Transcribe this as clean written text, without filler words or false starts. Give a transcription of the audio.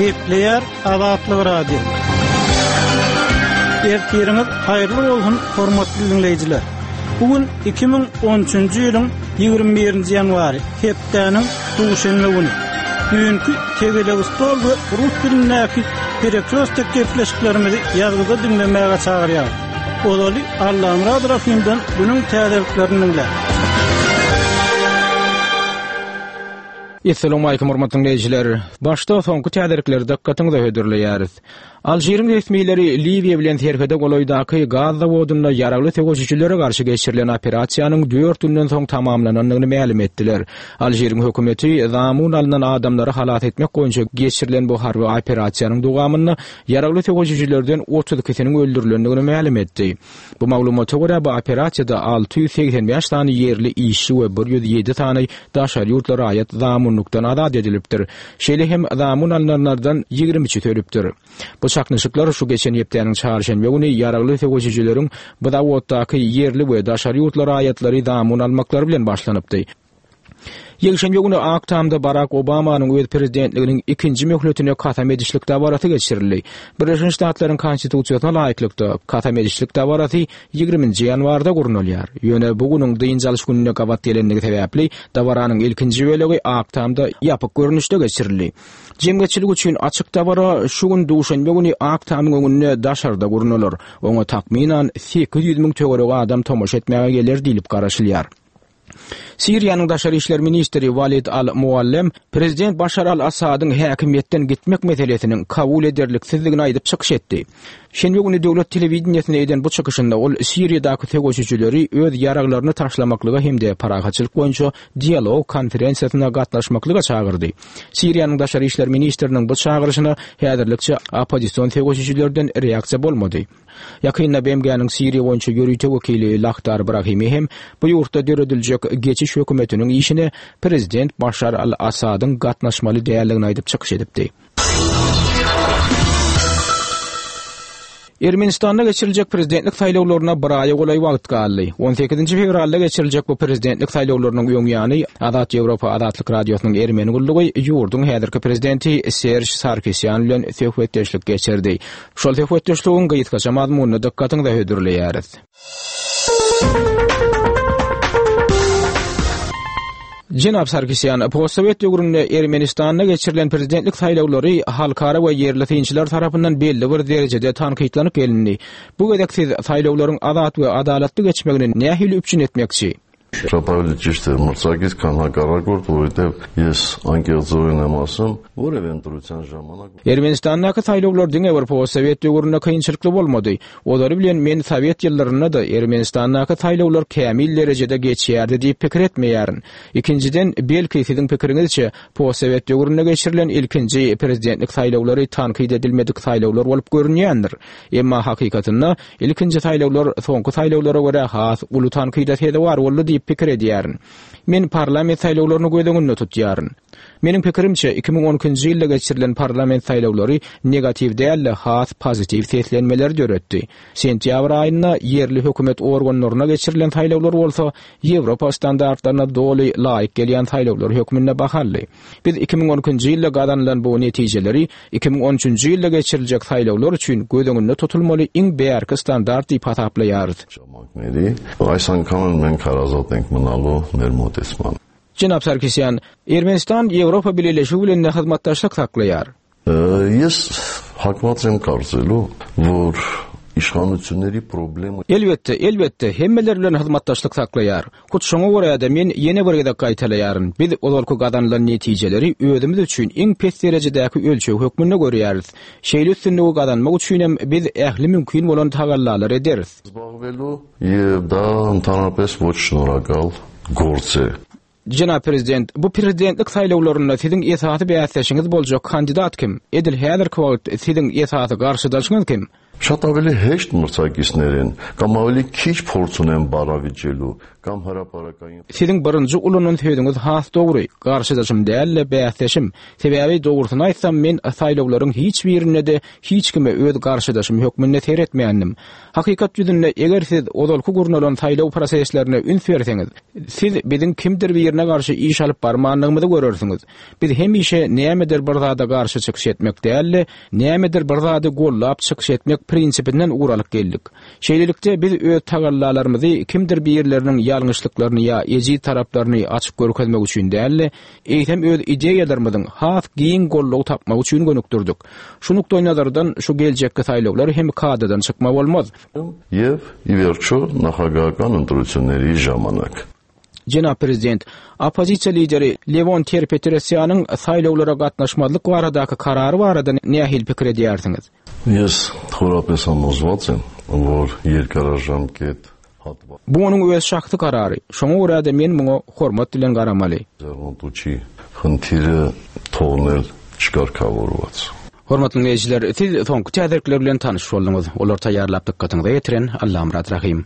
Gepleýär Azatlyk Radiosy. Ertiriňiz haýyrly bolsun, hormatly diňleýjiler. Bu gün 2013-nji ýylyň 21-nji ýanwary, hepdäniň duşenbe güni. Düýnki tegelek stol we rus dilindäki Perekrostek gepleşiklerimizi ýazgyda diňlemäge çagyrýarys. Ozaly Allamyrat Rahymdan günüň täzeliklerini diňläň. Essalawmalikim hormatly diňleýjiler! Başda soňky täzelikleri dykgatyňyza hödürleýäris. Alžiriň resmileri Liwiýa bilen serhede golaýdaky gaz zawodynda ýaragly söweşijilere garşy geçirilen operasiýanyň dört günden soň tamamlanandygyny mälim etdiler. Alžiriň hökümeti zamun alnan adamlary halas etmek boýunça geçirilen bu harby operasiýanyň dowamynda ýaragly söweşijilerden 32 ikisiniň öldürilendigini mälim etdi. Bu maglumata görä, bu operasiýada 685 sany ýerli işçi we 107 sany daşary ýurtly raýat zamunlykdan azat edilipdir. Şeýle hem zamun alnanlardan 23-si ölüpdir. Bu çaknyşyklar şu geçen hepdäniň çarşenbe güni ýaragly söweşijileriň bu zawoddaky ýerli we daşary ýurtly raýatlary zamun almaklary bilen başlanypdy. Ýekşenbe güni Ak Tamda Barak Obamanyň öz prezidentliginiň ikinji möhletine kasam edişlik dabarasy geçirildi. Birleşen Ştatlaryň Konstitusiýasyna laýyklykda, kasam edişlik dabarasy ýigriminji ýanwarda gurnalýar. Ýöne bu günüň dynç alyş gününe gabat gelendigi sebäpli, dabaranyň ilkinji bölegi Ak Tamda ýapyk görnüşde geçirildi. Jemgyýetçilik üçin açyk dabara şu gün duşenbe güni Ak Tamyň öňünde daşarda gurnalar. Oňa takmynan 800 müň töweregi adam tomaşa etmäge geler diýlip garaşylýar. Siriýanyň daşary işler ministri Walid al-Muallem prezident Başar al-Assadyň häkimiýetden gitmek meselesiniň kabul ederliksizdigini aýdyp çykyş etdi. Şenbe güni döwlet telewideniýesinde eden bu çykyşynda ol Siriýadaky söweşijileri öz ýaraglaryny taşlamaklyga hem-de parahatçylyk boýunça dialog konferensiýasyna gatnaşmaklyga çagyrdy. Siriýanyň daşary işler ministriniň bu çagyryşyna häzirlikçe oppozision söweşijilerden reaksiýa bolmady. Ýakynda BMG-niň Siriýa boýunça ýörite wekili Lahdar Brahimi hem bu ýurtda dörediljek geçiş hökümetiniň işine prezident Başar al-Assadyň gatnaşmaly däldigini aýdyp çykyş edipdi. Ermenistanda geçiriljek prezidentlik saýlawlaryna bir aýa golaý wagt galdy. On sekizinji fewralda geçiriljek bu prezidentlik saýlawlarynyň öň ýany Azat Ýewropa Azatlyk Radiosynyň ermeni gullugy ýurduň häzirki prezidenti Serž Sarkisýan bilen söhbetdeşlik geçirdi. Şol söhbetdeşligiň gysgaça mazmunyny dykgatyňyza hödürleýäris. Jenap Sarkisýan, postsowet döwründe Ermenistanda geçirilen prezidentlik saýlawlary halkara we ýerli synçylar tarapyndan belli bir derejede tankytlanyp gelindi. Bu gezek siz saýlawlaryň azat we adalatly geçmegini nähili üpjün etmekçi? Շատ ավելի ճիշտ էր մրցակից, քան հակառակորդ, որովհետև ես անկեղծորեն եմ ասում, որևէ ընտրության ժամանակ Ermenistandaky saýlawlar diňe bir postsowet döwründe kynçylykly bolmady. Ozaly bilen men sowet ýyllarynda-da Ermenistandaky saýlawlar kämil derejede geçýärdi diýip pikir etmeýärin. Ikinjiden, belki siziň pikiriňizçe, postsowet döwründe geçirilen ilkinji prezidentlik saýlawlary tankyt edilmedik saýlawlar bolup görünýändir. Emma hakykatynda Ilkinji saýlawlar soňky saýlawlara görä has uly tankyda sezewar boldy diýip pikir edýärin. Men parlament saýlawlaryny göz öňünde tutýaryn. Meniň pikirimçe, 2012-nji ýylda geçirilen parlament saýlawlary negatiw däl-de, has pozitiw seslenmeleri döretdi. Sentýabr aýynda ýerli hökümet organlaryna geçirilen saýlawlar bolsa Ýewropa standartlaryna doly laýyk gelýän saýlawlar hökmünde baha aldy. Biz 2012-nji ýylda gazanylan bu netijeleri 2013-nji ýylda geçiriljek saýlawlar üçin göz öňünde tutulmaly iň bärki standart diýip hasaplaýarys. Jenap Sarkisýan, Ermenistan Ýewropa Bileleşigi bilen-de hyzmatdaşlyk saklaýar. Ես հակված եմ կարծելու, որ իշխանությունների պրոբլեմը Elbetde, elbetde, hemmeler bilen hyzmatdaşlyk saklaýar. Hut şoňa görä-de men ýene bir gezek gaýtalaýaryn, biz ozalky gazanylan netijeleri özümiz üçin iň pes derejedäki ölçeg hökmünde görýäris. Şeýle üstünligi gazanmak üçinem biz ähli mümkin bolan tagallalary ederis. զբաղվելու եւ դա ընդհանրապես ոչ շնորհակալ գործ է։ Jenap Prezident, bu prezidentlik saýlawlarynda siziň esasy bäsdeşiňiz boljak kandidat kim? Edil häzirki wagt siziň esasy garşydaşyňyz kim? Շատ ավելի հեշտ մրցակիցներ են կամ ավելի քիչ փորձ ունեն բառավիճելու կամ հրապարակային Siziň birinji ulanan sözüňiz has dogry, garşydaşym däl-de, bäsdeşim. Sebäbi, dogrusyny aýtsam, men saýlawlaryň hiç birinde-de hiç kime öz garşydaşym hökmünde seretmändim. Hakykat ýüzünde, eger siz ozalky gurnalan saýlaw proseslerine üns berseňiz, siz biziň kimdir birine garşy iş alyp barmandygymyzy görersiňiz. Biz hemişe nämedir bir zada garşy çykyş etmek däl-de, nämedir bir zady gollap çykyş etmek prinsipinden ugur alyp geldik. Şeýlelikde, biz öz tagallalarymyzy kimdir birleriniň ýalňyşlyklaryny ýa ejiz taraplaryny açyp görkezmek üçin däl-de, eýsem öz ideýalarymyzyň has giň goldaw tapmagy üçin gönükdirdik. Şu nukdaýnazardan şu geljekki saýlawlar hem kadadan çykma bolmaz. Եվ ի վերջո նախագահական ընտրությունների ժամանակ։ Jenap Prezident, oppozisiýa lideri Lewon Ter-Petrosýanyň saýlawlara gatnaşmazlyk baradaky karary barada nähili pikir edýärsiňiz? Ես խորապես համոզված եմ, որ երկարաժամկետ հատված Bu onuň öz şahsy karary, şoňa görä-de men muňa hormat bilen garamaly. ձեռնտու չի խնդիրը թողնել չկարգավորված։ Hormatly diňleýjiler, siz soňky täzelikler bilen tanyş bolduňyz. Olary taýýarlap dykgatyňyza ýetiren Allamyrat Rahym.